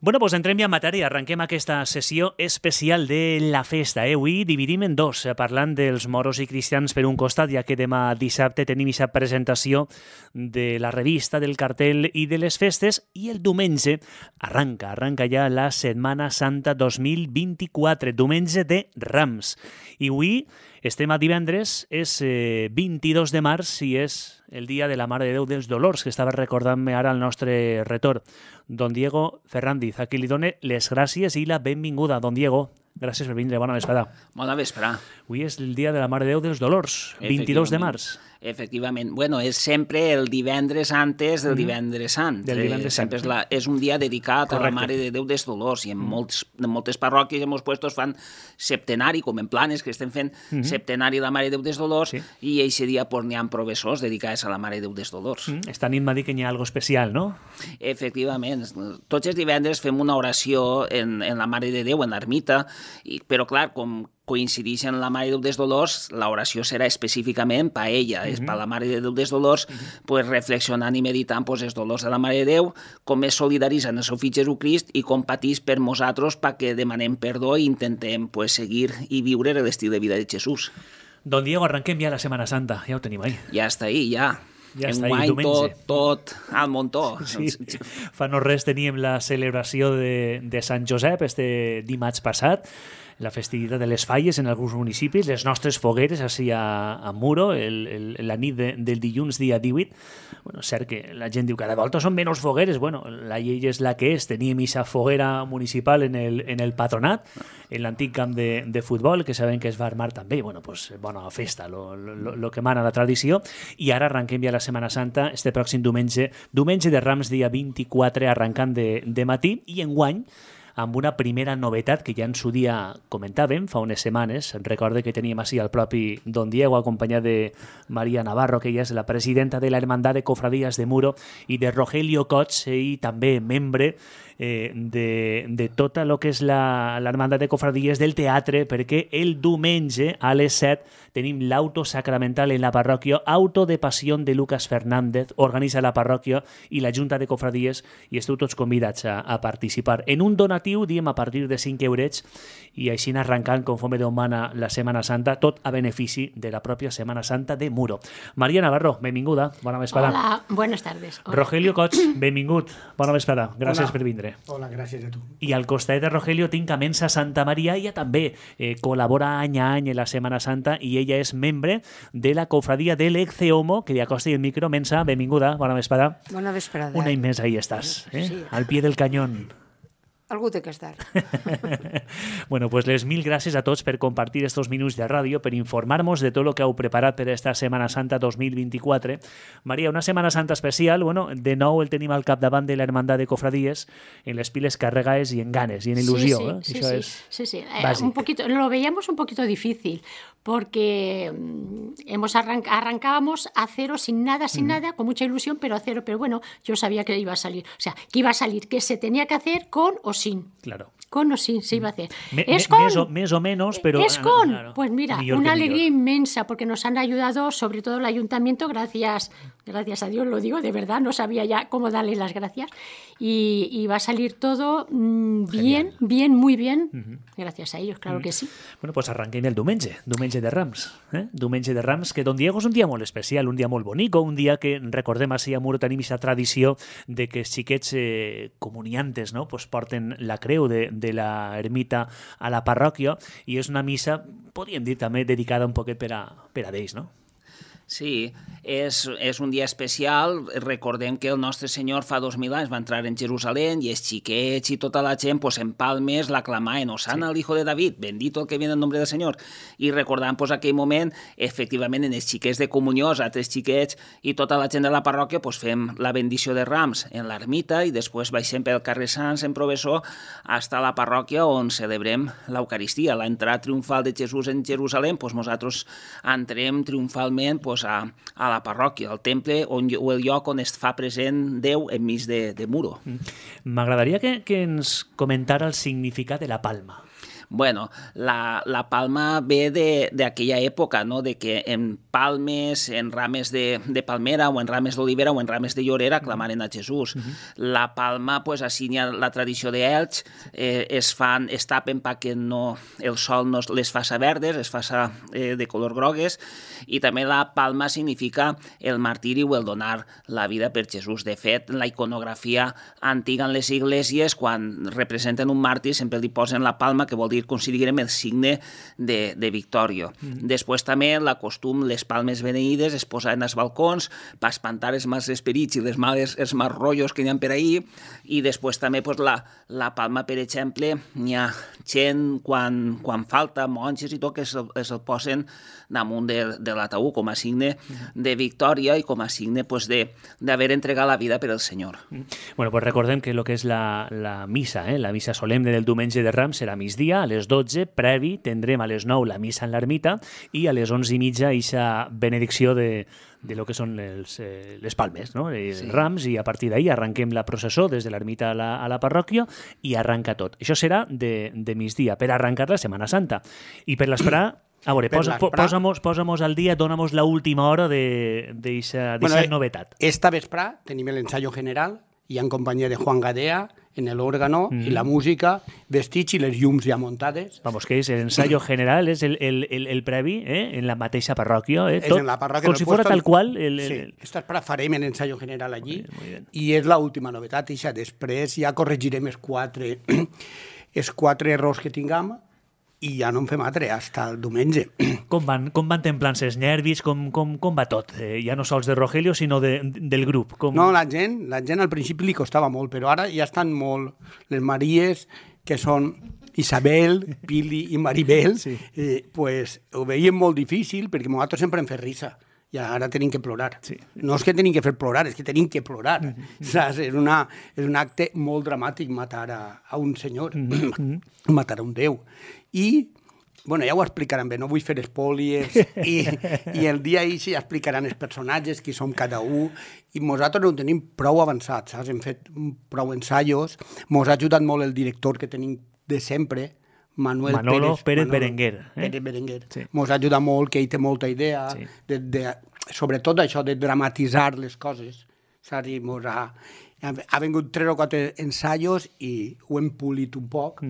Bueno, doncs entrem ja en matèria. Arrenquem aquesta sessió especial de la festa. Avui dividim en dos, parlant dels moros i cristians per un costat, ja que demà dissabte tenim aquesta presentació de la revista, del cartell i de les festes, i el diumenge arranca ja la Setmana Santa 2024, diumenge de Rams. I avui estem a divendres, és 22 de març i és el dia de la Mare de Déu dels Dolors, que estava recordant-me ara el nostre retor. Don Diego Ferrandiz, a qui li done les gràcies i la benvinguda. Don Diego, gràcies per vindre, bona vesprada. Bona vesprada. Avui és el dia de la Mare de Déu dels Dolors, 22 de març. Efectivament. Bueno, és sempre el divendres antes del divendres sant. Del divendres sant. És un dia dedicat Correcte. a la Mare de Déu dels Dolors, i en moltes parròquies i en molts puestos fan septenari, com en Planes, que estem fent septenari de la Mare de Déu dels Dolors, i aquest dia pues, n'hi ha professors dedicats a la Mare de Déu dels Dolors. Esta nit m'ha dit que hi ha algo especial, no? Efectivament. Tots els divendres fem una oració en la Mare de Déu, en l'ermita, però clar, com coincideix en la Mare de Déu dels Dolors, l'oració serà específicament per a ella, és per a la Mare de Déu dels Dolors, pues, reflexionant i meditant pues, els dolors de la Mare de Déu, com es solidaritza en el seu fill Jesucrist i com patís per nosaltres perquè demanem perdó i intentem pues, seguir i viure l'estil de vida de Jesús. Don Diego, arrenquem ja la Setmana Santa, ja ho tenim ahí. Ja està ahí, ja. Ja està ahí, Enguany diumenge. tot al muntó. Sí. Fa no res teníem la celebració de Sant Josep este dimarts passat, la festivitat de les falles en alguns municipis, les nostres fogueres així a Muro, la nit del dilluns dia 18. Bueno, cert que la gent diu que cada volta són menys fogueres. Bueno, la llei és la que és. Teníem aquesta foguera municipal en el patronat, en l'antic camp de futbol, que sabem que es va armar també. Bueno, pues, bona festa, lo que mana la tradició. I ara arrenquem ja la Setmana Santa, este pròxim diumenge de Rams, dia 24, arrencant de matí, i enguany amb una primera novetat que ja en su dia comentàvem fa unes setmanes. Recorde que teníem així el propi Don Diego acompanyat de Maria Navarro, que ella és la presidenta de la Hermandad de Cofradías de Muro, i de Rogelio Cots, i també membre de tota el que és l'Hermandad de Cofradías del teatre, perquè el diumenge a les 7 tenim l'auto sacramental en la parròquia, Auto de Pasión de Lucas Fernández, organitza la parròquia i la Junta de Cofradíes, i esteu tots convidats a participar. En un donatiu, diem, a partir de 5 eurets, i així arrencant, conforme Déu mana, la Setmana Santa, tot a benefici de la pròpia Setmana Santa de Muro. Maria Navarro, benvinguda, bona vesprada. Hola, buenas tardes. Hola. Rogelio Cots, benvingut, bona vesprada, gràcies per vindre. Hola, gràcies a tu. I al costat de Rogelio tinc a Mensa Santa Maria. Ella també col·labora any a any en la Setmana Santa i ella és membre de la cofradia de l'Ecceomo, que li acosti el micro. Mensa, benvinguda, bona vesprada. Bona vesprada. Un any més ahí estàs, Sí. al pie del cañón. Algú té que estar. Bueno, pues les mil gràcies a tots per compartir estos minuts de ràdio, per informar-nos de tot el que heu preparat per esta Setmana Santa 2024. Maria, una Setmana Santa especial, bueno, de nou el tenim al capdavant de la Hermandad de Cofradíes, en les piles carregades y en ganes y en ilusión. Sí. Básico. Un poquito, lo veíamos un poquito difícil, porque arrancábamos a cero, sin nada, con mucha ilusión, pero a cero. Pero bueno, yo sabía que iba a salir. O sea, que iba a salir, que se tenía que hacer con o sin. Claro. Con o sin se iba a hacer. Més o menos, pero... Es con. Claro, pues mira, millor una que alegría millor. inmensa, porque nos han ayudado, sobre todo el ayuntamiento, gracias a Dios, lo digo, de verdad, no sabía ya cómo darle las gracias. Y va a salir todo bien, muy bien, gracias a ellos, claro que sí. Bueno, pues arranquem el diumenge de Rams. Diumenge de Rams, que Don Diego és un dia molt especial, un dia molt bonic, un dia que recordem així a Muro tenim aquesta tradició de que els xiquets comuniantes, no? Pues porten la creu de la ermita a la parròquia, i és una missa, podríem dir també, dedicada un poquet per a ells, no? Sí, és un dia especial. Recordem que el nostre Senyor fa 2000 anys va entrar en Jerusalem i els xiquets i tota la gent pues, en palmes l'aclamaven, Osana al hijo de David, bendito el que viene en nombre del Senyor. I recordant pues, aquell moment, efectivament, en els xiquets de comunió, els altres xiquets i tota la gent de la parròquia pues, fem la bendició de Rams en l'ermita i després baixem pel carrer Sants en processó fins a la parròquia on celebrem l'Eucaristia, l'entrada triomfal de Jesús en Jerusalem. Pues, nosaltres entrem triomfalment pues, a la parròquia, al temple o el lloc on es fa present Déu enmig de Muro. M'agradaria que ens comentara el significat de la palma. Bueno, la palma ve d'aquella època, no? De que en palmes, en rames de palmera o en rames d'olivera o en rames de llorera aclamaren a Jesús. La palma, pues, així hi ha la tradició d'Elx, es tapen perquè el sol no les faça verdes, es faça de color grogues, i també la palma significa el martiri o el donar la vida per Jesús. De fet, la iconografia antiga en les esglésies, quan representen un màrtir, sempre li posen la palma, que vol dir, considerem, el signe de victòria. Després també la costum, les palmes beneïdes es posaven als balcons per espantar els mals esperits i els mals rotllos que hi ha per ahir, i després també la palma, per exemple, n'hi ha gent quan falta, monges i tot, que es el posen damunt de l'ataúd com a signe de victòria i com a signe d'haver entregat la vida per al Senyor. Bueno, pues recordem que el que és la missa, la missa solemne del diumenge de Rams serà a migdia, a les 12, previ, tindrem a les 9 la missa en l'ermita i a les 11:30 eixa benedicció de lo que són les palmes, no? Els rams, i a partir d'ahir arranquem la processó des de l'ermita a la parròquia i arranca tot. Això serà de migdia, per arrencar la Setmana Santa. I per l'esperar, a veure, posa-mos al dia, dona-mos l'última hora d'eixa novetat. Esta vesprà tenim l'ensayo general, i en companyia de Juan Gadea, en l'òrgano i la música, vestits i les llums ja muntades. Vamos, que és l'ensayo general, és el previ, en la mateixa parròquia, És en la parròquia. Com si fos tal qual. Sí, esta vesprà farem l'ensayo general allí, i és l'última novetat, i després ja corregirem els quatre errors que tinguem, i ja no en fem altre, fins el diumenge. Com van templant-se els nervis? Com va tot? Ja no sols de Rogelio, sinó del grup. No, la gent al principi li costava molt, però ara ja estan molt les Maries, que són Isabel, Pili i Maribel, pues ho veiem molt difícil, perquè nosaltres sempre hem fet risa. I ara tenim que plorar. Sí. No és que tenim que fer plorar, és que tenim que plorar. Saps? És un acte molt dramàtic matar a un senyor, matar a un déu. I, bueno, ja ho explicaran bé, no vull fer espòilies, i el dia ahir ja explicaran els personatges, qui som cada un, i nosaltres ho tenim prou avançat, saps? Hem fet prou ensaios, mos ha ajudat molt el director que tenim de sempre, Manolo Pérez Berenguer. Pérez Berenguer. Sí. Mos ha ajudat molt, que ell té molta idea, sobretot això de dramatitzar les coses. Saps? I mos ha vingut 3 o 4 ensaios i ho hem polit un poc.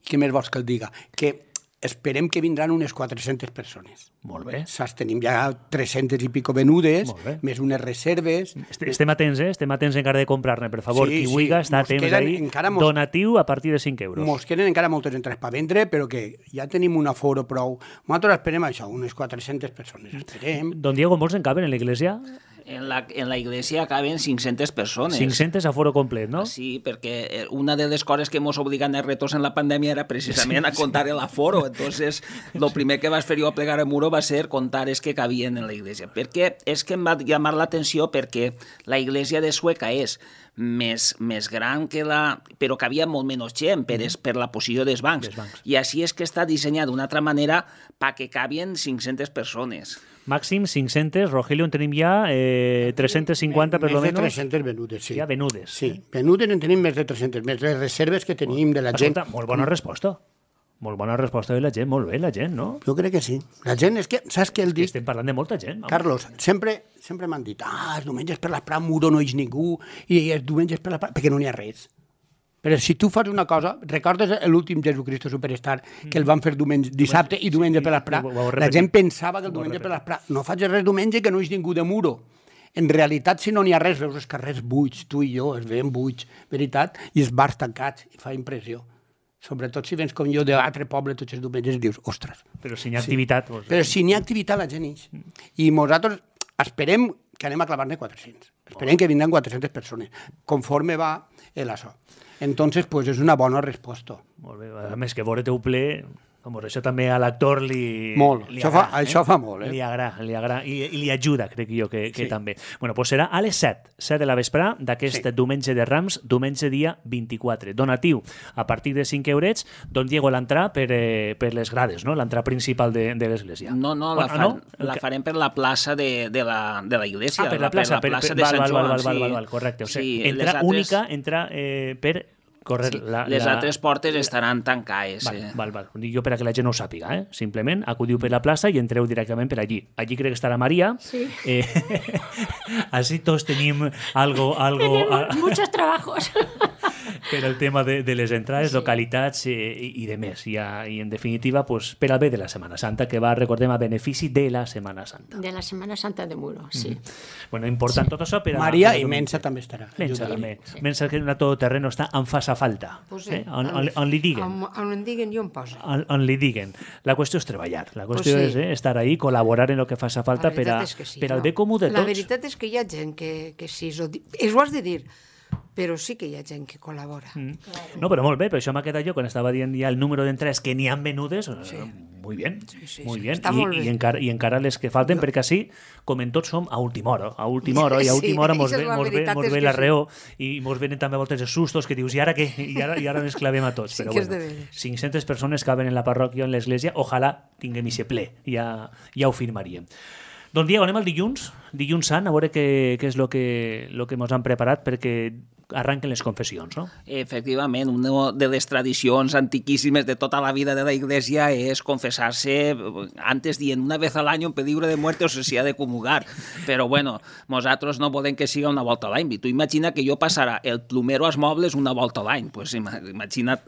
Què més vols que el diga? Que esperem que vindran unes 400 persones. Molt bé. Saps? Tenim ja 300 i pico venudes, més unes reserves. Estem atents, estem atents encara de comprar-ne, per favor. Qui vulgui, està temps ahí. Donatiu a partir de 5 euros. Mos queden encara moltes entrades per vendre, però que ja tenim un aforo prou. Nosaltres esperem això, unes 400 persones. Esperem. Don Diego, molts en caben en l'església? En la iglesia caben 500 persones. 500 aforo complet, no? Sí, perquè una de les coses que ens obligan a retos en la pandèmia era precisament a contar el aforo. Entonces, lo primer que vas fer jo a plegar el muro va ser contar els que cabien en la iglesia. Perquè és que em va llamar l'atenció perquè la iglesia de Sueca és més gran que però que havia molt menys gent per la posició dels bancs. I així és que està dissenyat d'una altra manera perquè cabien 500 persones. Màxim 500, Rogelio, en tenim ja 350 per lo menos. Més de 300 venudes, sí. Ja venudes. Sí, venudes en tenim més de 300, més les reserves que tenim de la gent. Escolta, molt bona resposta. Molt bona resposta de la gent, molt bé la gent, no? Jo crec que sí. La gent és que, saps què el dic? Estem parlant de molta gent. Vamos. Carlos, sempre m'han dit, els diumenges per l'esprà muro no hi és ningú, i els diumenges per l'esprà, perquè no n'hi ha res. Però si tu fas una cosa, recordes l'últim Jesucristo Superstar, que el van fer dissabte i diumenge per l'esprà? La gent pensava que el diumenge per l'esprà, no faig res diumenge que no hi és ningú de muro. En realitat, si no n'hi ha res, veus els carrers buits, tu i jo, els veiem buits, veritat, i els bars tancats, i fa impressió. Sobretot si vens com jo d'altre poble tots els diumenges i dius, ostres. Però si n'hi ha activitat... Sí. Però si n'hi ha activitat, la gent ix. I nosaltres esperem que anem a clavar-ne 400. Esperem que vindran 400 persones, conforme va l'això. Entonces, pues és una bona resposta. Molt bé. A més, que veure-te un ple... Això també a l'actor li agrada. Això fa molt, Li agrada. I li ajuda, crec jo, que també. Bueno, doncs serà a les 7 de la vesprà d'aquest diumenge de Rams, diumenge dia 24. Donatiu a partir de 5 eurets. Don Diego, l'entrà per les grades, no? L'entrà principal de l'església. No, la farem per la plaça de la iglesia. Per la plaça de Sant Joan. Correcte. O sigui, entrà única, entra per... córrer Sí. Les altres portes estaran tancades. Val. Ho dic jo per a que la gent no ho sàpiga, Simplement acudiu per la plaça i entreu directament per allí. Allí crec que estarà Maria. Sí. Así todos tenim algo Tenemos muchos trabajos. per al tema de les entrades, localitats i de més. I en definitiva, pues, per al bé de la Setmana Santa, que va, recordem, a benefici de la Setmana Santa. De la Semana Santa de Muro, sí. Bueno, important tot això per a... Maria i Mensa també estarà. Mensa també. Mensa que a tot terreno està en fa falta. Pues sí. On li diguen. On em diguen jo em poso. On li diguen. La qüestió és treballar. La qüestió Pues sí. és estar ahí, col·laborar en el que faci falta per al bé comú de tots. La veritat és que hi ha gent que sí, ho has de dir, però sí que hi ha gent que col·labora. No, però molt bé, per això m'ha quedat jo quan estava dient ja el número d'entrades que n'hi han venudes, muy bien, Sí, muy bien. està molt bé. I encara les que falten, perquè així, com en tots som, a última hora, i a última hora mos això és la ve veritat, és que la sí. reó i mos venen també a voltes els sustos que dius, i ara què? I ara ens clavem a tots. Sí Però que és bueno, de veres. 500 persones caben en la parròquia o en l'església, ojalà tinguem ixe ple, ja ho firmaríem. Doncs Diego, anem al dilluns sant, a veure què és el que mos han preparat perquè arranquen les confessions, no? Efectivament, una de les tradicions antiquíssimes de tota la vida de la Iglesia és confesar-se, antes dient una vez al año en peligro de muerte o se ha de comulgar. Però bueno, nosaltres no volem que siga una volta a l'any. Tu imagina que jo passara el plomero als mobles una volta a l'any. Pues imagina't.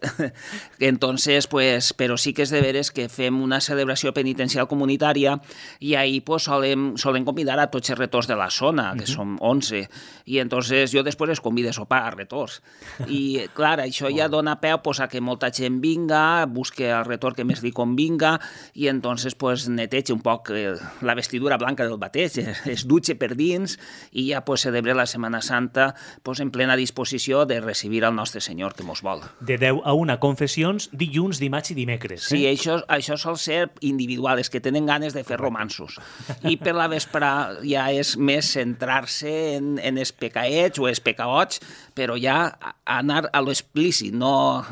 Entonces, pues, però sí que és de veres que fem una celebració penitencial comunitària i ahí pues solen convidar a tots els retors de la zona, que som 11. I entonces jo després els convido a sopar a retors. I, clar, això ja dona peu pues, a que molta gent vinga, busque el retor que més li convinga i entonces pues, neteja un poc la vestidura blanca del bateig, es dutxe per dins i ja pues, celebre la Setmana Santa pues, en plena disposició de recibir el nostre Senyor que mos vol. De 10 a 1 confessions, dilluns, dimarts i dimecres. Sí, això sol ser individual, és que tenen ganes de fer romansos. I per la vespre ja és més centrar-se en els pecaets o els pecaots, però ja anar a lo explícit, no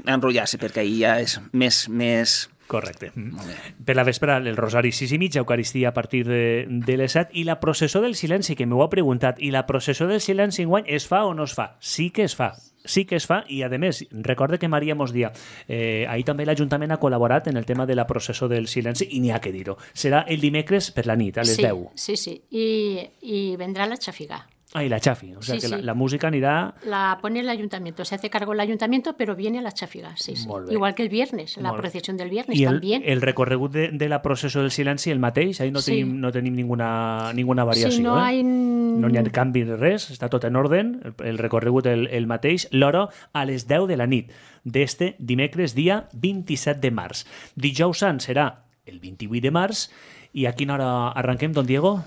enrotllar-se, perquè ahir ja és més... Correcte. Per la vespre, el rosari 6:30, Eucaristia a partir de les 7, i la processó del silenci, que m'ho ha preguntat, i la processó del silenci enguany es fa o no es fa? Sí que es fa. Sí que es fa, i a més, recorde que Maria mos dia, ahir també l'Ajuntament ha col·laborat en el tema de la processó del silenci, i n'hi ha que dir-ho. Serà el dimecres per la nit, a les 10. Sí. Y vendrá la chafiga. Y la chafi, o sea que la música anirà... La pone el ayuntamiento, se hace cargo el ayuntamiento, pero viene la chafiga, sí. Igual que el viernes, la procesión del viernes también. I el recorregut de la processó del silenci el mateix, ahí no tenim ninguna variació. Sí, no hi ha canvi de res, està tot en ordre, el recorregut el mateix, l'hora a les 10 de la nit d'este dimecres, dia 27 de març. Dijous Sant serà el 28 de març, i a quina hora arrenquem, don Diego?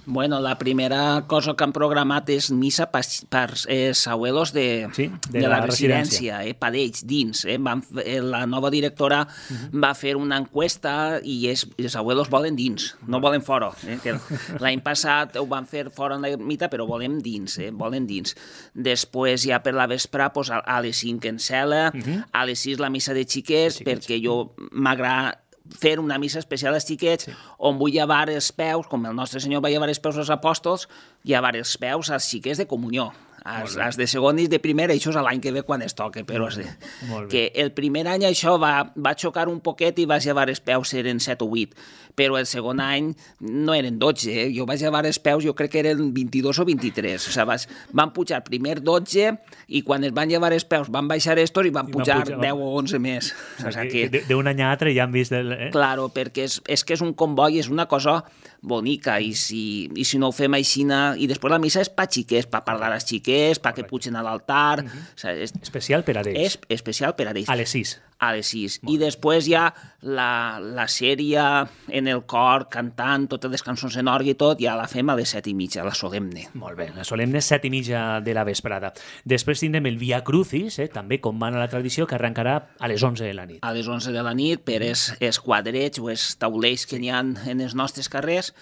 Bueno, la primera cosa que han programat és missa per abuelos de la residència, per ells, dins. La nova directora va fer una encuesta i els abuelos volen dins, no volen fora. L'any passat ho van fer fora en la ermita, però volen dins, volen dins. Després, ja per la vespre, a les 5 en cel·la, a les 6 la missa de xiquets, perquè jo m'agrada fer una missa especial als xiquets on vull llevar els peus, com el nostre Senyor va llevar els peus als apòstols, llevar els peus als xiquets de comunió. Els de segon i de primer, això és l'any que ve quan es toca, però que el primer any això va xocar un poquet i vas llevar els peus, eren 7 o 8, però el segon any no eren 12, jo vaig llevar els peus, jo crec que eren 22 o 23, o sigui, van pujar primer 12 i quan es van llevar els peus van baixar estos i van pujar 10 o 11 més. D'un any a altre ja han vist... Claro, perquè és que és un comboi, és una cosa bonica, i si no ho fem així, i després la missa és per xiquets, per parlar als xiquets, perquè pugen a l'altar... Especial per a ells. És especial per a ells. A les 6. A les 6. I després hi ha la sèrie en el cor, cantant totes les cançons en orgue i tot, ja la fem a les 7:30, la solemne. Molt bé, la solemne 7:30 de la vesprada. Després tindrem el Via Crucis, també com mana la tradició, que arrencarà a les 11 de la nit. A les 11 de la nit, per els quadrets o els taulells que n'hi ha en els nostres carrers,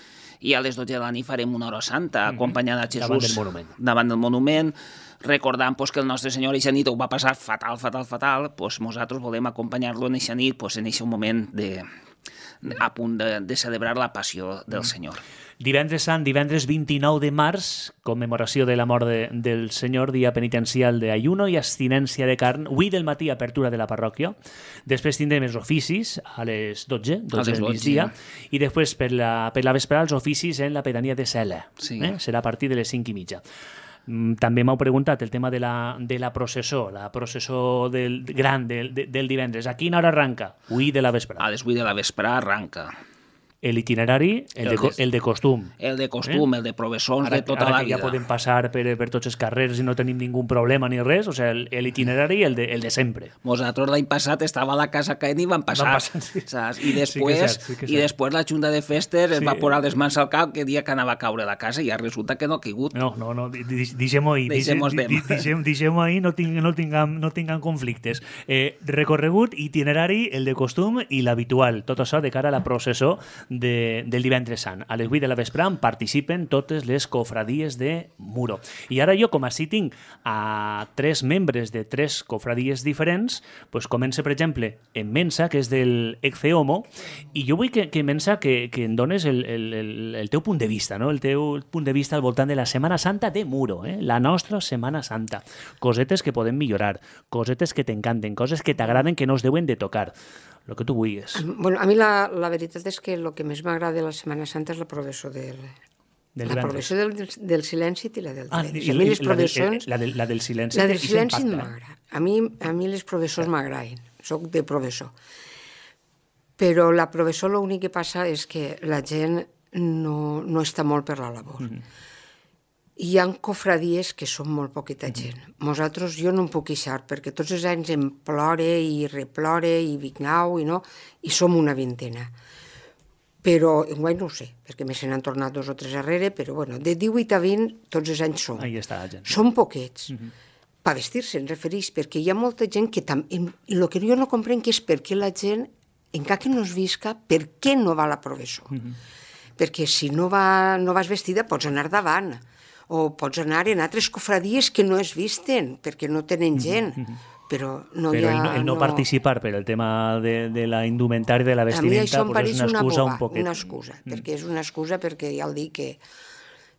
i a les 12 de la nit farem una hora santa, acompanyant a Jesús davant del monument, recordant que el nostre Senyor eixa nit ho va passar fatal, nosaltres volem acompanyar-lo en eixa nit, en eixa moment a punt de celebrar la passió del Senyor. Divendres Sant, divendres 29 de març, commemoració de la mort del Senyor, dia penitencial d'ayuno i abstinència de carn. Avui del matí, apertura de la parròquia. Després tindrem els oficis a les 12 del migdia. I després, per la vesprada, els oficis en la pedania de Cela. Sí. Serà a partir de les 5:30. També m'heu preguntat el tema de la processó, del divendres. A quina hora arranca? Avui de la vesprada. A les 8 de la vesprada arranca. L'itinerari, el de costum. El de costum, el de professors de tota la vida. Ara que ja podem passar per tots els carrers i no tenim ningú problema ni res, o sigui, l'itinerari, el de sempre. Nosaltres l'any passat estava a la casa caent i van passar. Sí. Saps? I després la Junta de Festes es va posar les mans al cap que dia que anava a caure la casa i ja resulta que no ha caigut. No, deixem-ho ahir. Deixem-ho ahir, no tinguem conflictes. Recorregut, itinerari, el de costum i l'habitual. Tot això de cara a la processó del divendres Sant. A les 8 de la vesprada participen totes les cofradies de Muro. I ara jo, com així tinc a 3 membres de 3 cofradies diferents, doncs comença, per exemple, en Mensa, que és del Ecce Homo, i jo vull que Mensa, que em dones el teu punt de vista, no? El teu punt de vista al voltant de la Setmana Santa de Muro, la nostra Setmana Santa. Cosetes que podem millorar, cosetes que t'encanten, coses que t'agraden que no es deuen de tocar. El que tu vulguis. Bueno, a mi la veritat és que el que més m'agrada de la Setmana Santa és la progressió del silenci i la del divendres. A mi les progressions... La del silenci. La del silenci m'agrada. A mi les progressions m'agraden. Soc de progressor. Però la progressió l'únic que passa és que la gent no està molt per la labor. Hi ha cofradies que són molt poqueta gent. Nosaltres, jo no em puc queixar, perquè tots els anys em plore i replore i vignau i som una vintena. Però, enguany no ho sé, perquè me se n'han tornat 2 o 3 darrere, però bueno, de 18 a 20 tots els anys som. Ahí està la gent. Som poquets. Per vestir-se, em referís, perquè hi ha molta gent que també... El que jo no comprenc és per què la gent, encara que no es visca, per què no va a la progressó? Perquè si no vas vestida pots anar davant, o pots anar en altres cofradies que no es visten, perquè no tenen gent. Però no hi ha... Però el no participar per el tema de la indumentària, de la vestimenta, és una excusa un poquet. Una excusa, perquè és una excusa, perquè ja el dic que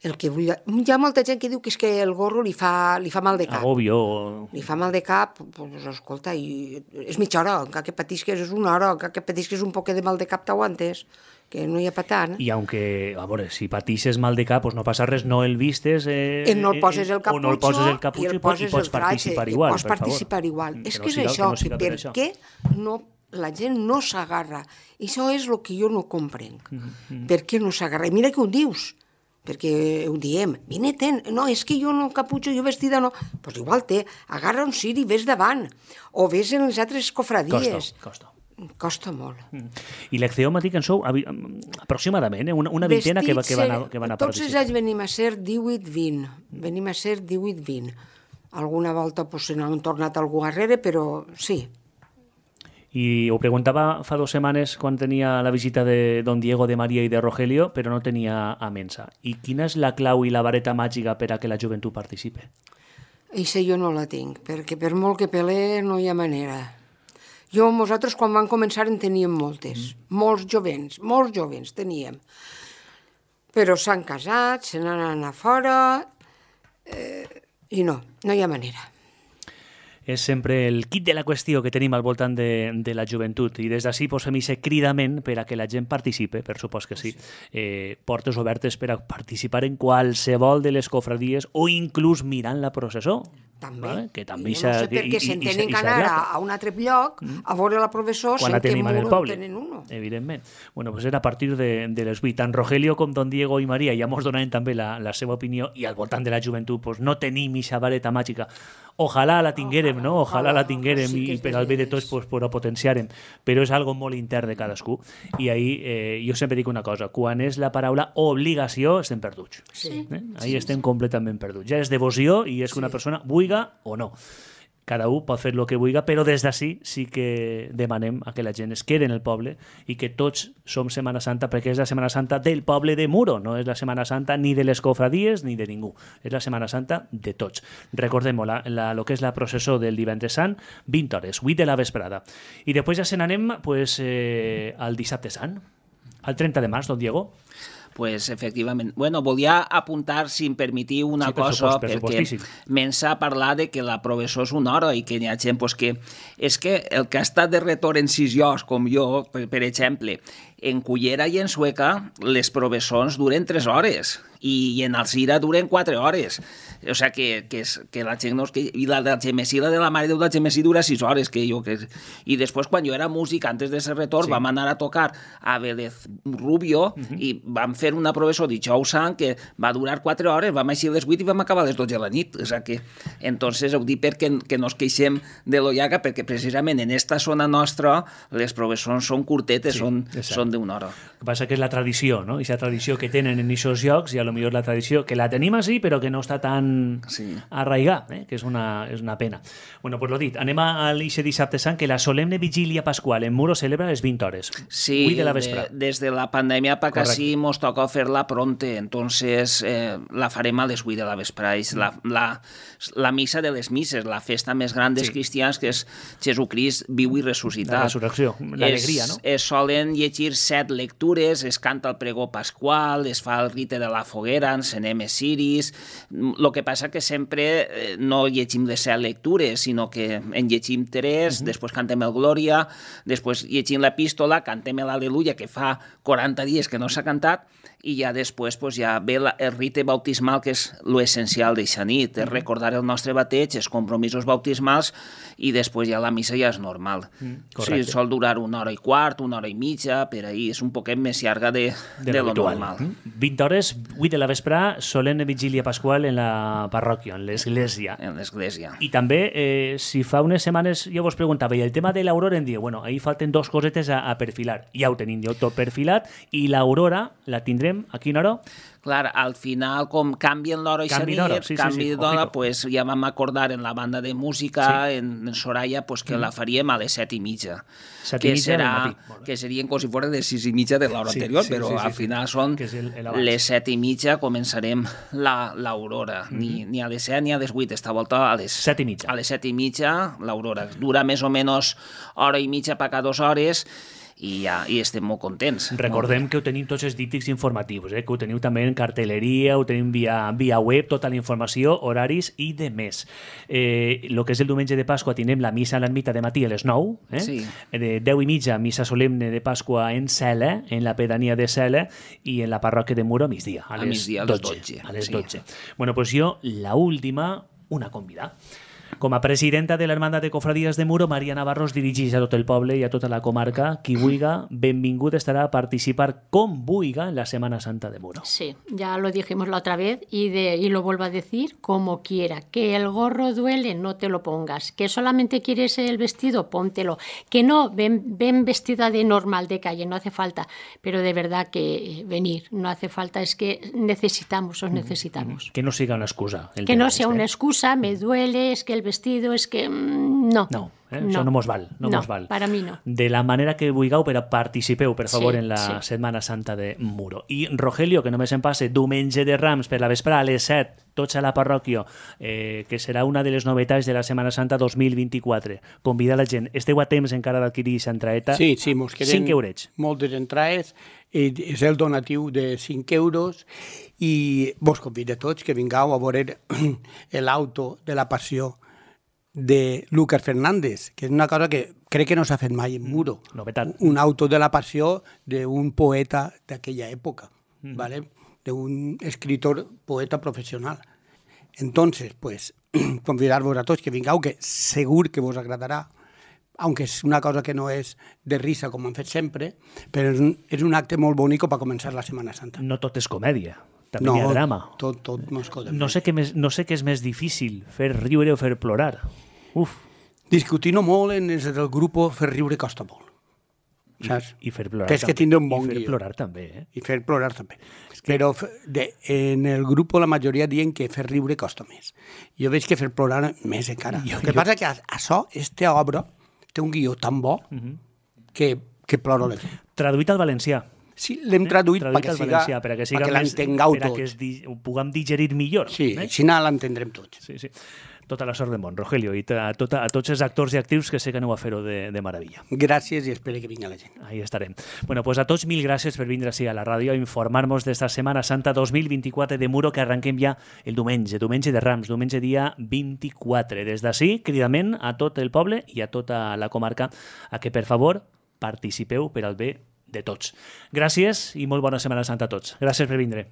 el que vull... Hi ha molta gent que diu que és que el gorro li fa mal de cap. Agobio. Li fa mal de cap, doncs escolta, és mitja hora, encara que patisques és una hora, encara que patisques un poquet de mal de cap t'aguantes, que no hi ha pa tant. I aunque, a veure, si patixes mal de cap, doncs no passa res, no el vistes... no el poses el caputxo, o no el poses el caputxo i pots participar igual, per favor. Pots participar igual. És que és això, que per què la gent no s'agarra? I això és el que jo no comprenc. Per què no s'agarra? I mira que ho dius, perquè ho diem. Vine, no, és que jo no caputxo, jo vestida no... Doncs igual agarra un ciri i ves davant. O ves en les altres cofradies. Costa molt. I l'Ecce Homo, dic, en sou aproximadament, una vintena que van a participar. Tots els anys venim a ser 18-20. Venim a ser 18-20. Alguna volta se n'han tornat algú darrere, però sí. I ho preguntava fa 2 setmanes quan tenia la visita de don Diego, de Maria i de Rogelio, però no tenia a Mensa. I quina és la clau i la vareta màgica per a que la joventut participe? Eixa jo no la tinc, perquè per molt que pelee no hi ha manera. Nosaltres quan vam començar en teníem moltes, molts jovents teníem. Però s'han casat, se n'han anat fora i no hi ha manera. És sempre el kit de la qüestió que tenim al voltant de la joventut i des d'ací fem aquest cridament per a que la gent participe, per supost que sí. Portes obertes per a participar en qualsevol de les cofradies o inclús mirant la processó. També. Vale? Que també jo no sé per què se'n tenen que anar a un altre lloc a veure la professor quan la tenim en el poble, tenen uno. Evidentment. Bueno, pues era a partir de les 8. Tant Rogelio com don Diego i Maria ja mos donaven també la seva opinió i al voltant de la joventut pues, no tenim aquesta vareta màgica. Ojalà la tinguérem, no? Ojalà la tinguérem sí i per al bé de tots pues, ho potenciarem. Però és algo molt intern de cadascú. I ahí jo sempre dic una cosa, quan és la paraula obligació estem perduts. Sí. Ahí estem completament perduts. Ja és devoció i és que una persona vulga o no. Cada un pot fer el que vulgui, però des d'ací sí que demanem a que la gent es quede en el poble i que tots som Setmana Santa, perquè és la Setmana Santa del poble de Muro, no és la Setmana Santa ni de les cofradies ni de ningú, és la Setmana Santa de tots. Recordem-ho, el que és la processó del divendres sant, 20 hores, 8 de la vesprada. I després ja se n'anem pues, al dissabte sant, al 30 de març, don Diego. pues, efectivament. Bueno, volia apuntar, si em permetiu, una cosa, perquè me'n s'ha parlat de que la professor és una hora i que hi ha gent pues, que... És que el que ha estat de retorn en 6 llocs, com jo, per exemple, en Cullera i en Sueca, les professors duren 3 hores i en Alzira duren 4 hores. O sigui que la gent no és que... I la de Gemesí, la de la Mare Déu de Gemesí dura 6 hores. I després, quan jo era músic, antes de ser retorn, vam anar a tocar a Vélez Rubio i vam fer una professor dijous sant que va durar 4 hores, vam així a les 8 i vam acabar a les 12 de la nit. O sigui que, entonces, ho dic perquè no ens queixem de l'Ollaga, perquè precisament en esta zona nostra les professors són curtetes, són d'una hora. El que passa que és la tradició, no? I la tradició que tenen en aquests llocs, i a lo millor la tradició que la tenim així, però que no està tan arraigada, que és una pena. Bueno, pues lo dit, anem a l'Ixe Dissabte Sant, que la solemne vigília pasqual en Muro celebra les 20 hores. Sí, 8 de la vespre. Des de la pandèmia per casi mos toca fer-la pronte, entonces la farem a les 8 de la vespre. És la missa de les misses, la festa més gran dels cristians, que és Jesucrist viu i ressuscitat. La resurrecció, l'alegria, no? Es solen llegir 7 lectures, es canta el pregó pasqual, es fa el rite de la foguera, encenem ciris. El que passa que sempre no llegim les 7 lectures, sinó que en llegim 3, després cantem el Glòria, després llegim l'epístola, cantem l'Aleluia, que fa 40 dies que no s'ha cantat, i ja després ja ve el rite bautismal, que és l'essencial d'eixa nit, és recordar el nostre bateig, els compromisos bautismals, i després ja la missa ja és normal. Sí, sol durar 1 hora i quart, 1 hora i mitja, per ahir és un poquet més llarga de lo normal. 20 hores, 8 de la vespre, solemne vigília pasqual en la parròquia, en l'església. En l'església. I també, si fa unes setmanes jo vos preguntava, i el tema de l'aurora em diu, bueno, ahí falten 2 cosetes a perfilar. Ja ho tenim tot perfilat, i l'aurora la tindrem a quina hora? Clar, al final, com canvien l'hora i canvi d'hora, pues ja vam acordar en la banda de música, en Soraya, pues que la faríem a les 7:30. Que serien com si fos les 6:30 de l'hora anterior, però al final són les 7:30, començarem l'aurora. Ni a les 7 ni a les 8, esta volta a les 7:30. A les 7:30 l'aurora. Dura més o menys hora i mitja per cada 2 hores, i estem molt contents. Recordem que ho tenim tots els díptics informatius, que ho teniu també en cartelleria, ho tenim via web, tota la informació, horaris i de més. El que és el diumenge de Pasqua tindrem la missa a l'ermita de matí a les 9, de 10:30 missa solemne de Pasqua en Cela, en la pedania de Cela, i en la parròquia de Muro a migdia, a les 12. A les 12. Bueno, pues jo, la última, una convidada. Com a presidenta de l'Hermandad de Cofradías de Muro, Maria Navarro es dirigeix a tot el poble i a tota la comarca. Qui vulga, benvingut estarà a participar com vulga en la Semana Santa de Muro. Sí, ya lo dijimos la otra vez y lo vuelvo a decir, como quiera. Que el gorro duele, no te lo pongas. Que solamente quieres el vestido, póntelo. Que no, ven vestida de normal, de calle, no hace falta. Pero de verdad que venir, no hace falta, es que necesitamos, os necesitamos. Que no siga una excusa. Que no sea una excusa, me duele, es que el vestido, es que no. Això no mos val. No, para mi no. De la manera que vulgueu, però participeu, per favor, en la Setmana Santa de Muro. I Rogelio, que només em passe diumenge de Rams per la vesprà a les 7, tots a la parròquia, que serà una de les novetats de la Setmana Santa 2024. Convidar la gent. Esteu a temps encara d'adquirir aquesta entraeta? Sí, mos queden 5 eurets. Moltes entrades. És el donatiu de 5 euros i vos convido a tots que vingueu a veure l'auto de la passió de Lucas Fernández, que és una cosa que crec que no s'ha fet mai en Muro. Novetat. Un auto de la passió d'un poeta d'aquella època, ¿vale? d'un escritor, poeta professional. Entonces, pues, convidar-vos a tots que vingueu, que segur que vos agradarà, aunque és una cosa que no és de risa com han fet sempre, però és un acte molt bonic per començar la Setmana Santa. No tot és comèdia. També hi ha drama. Tot no és comèdia. No sé què és més difícil, fer riure o fer plorar. Discutint molt en el grup, fer riure costa molt. Saps? I fer plorar Tens que tindre un bon guió. I fer plorar també. I fer plorar també. Però en el grup la majoria diuen que fer riure costa més. Jo veig que fer plorar més encara. El que passa que això, aquesta obra, té un guió tan bo que ploro la gent. Traduït al valencià. Sí, l'hem traduït perquè l'entengueu tots. Perquè ho puguem digerir millor. Sí, així l'entendrem tots. Sí. Tota la sort del món, Rogelio, i a tots els actors i actrius que sé que aneu a fer-ho de meravella. Gràcies i espero que vingui la gent. Ahí estarem. Bueno, pues a tots mil gràcies per vindre així a la ràdio a informar-nos d'esta Setmana Santa 2024 de Muro, que arrenquem ja el diumenge de Rams, diumenge dia 24. Des d'ací, cridament a tot el poble i a tota la comarca a que, per favor, participeu per al bé de tots. Gràcies i molt bona Setmana Santa a tots. Gràcies per vindre.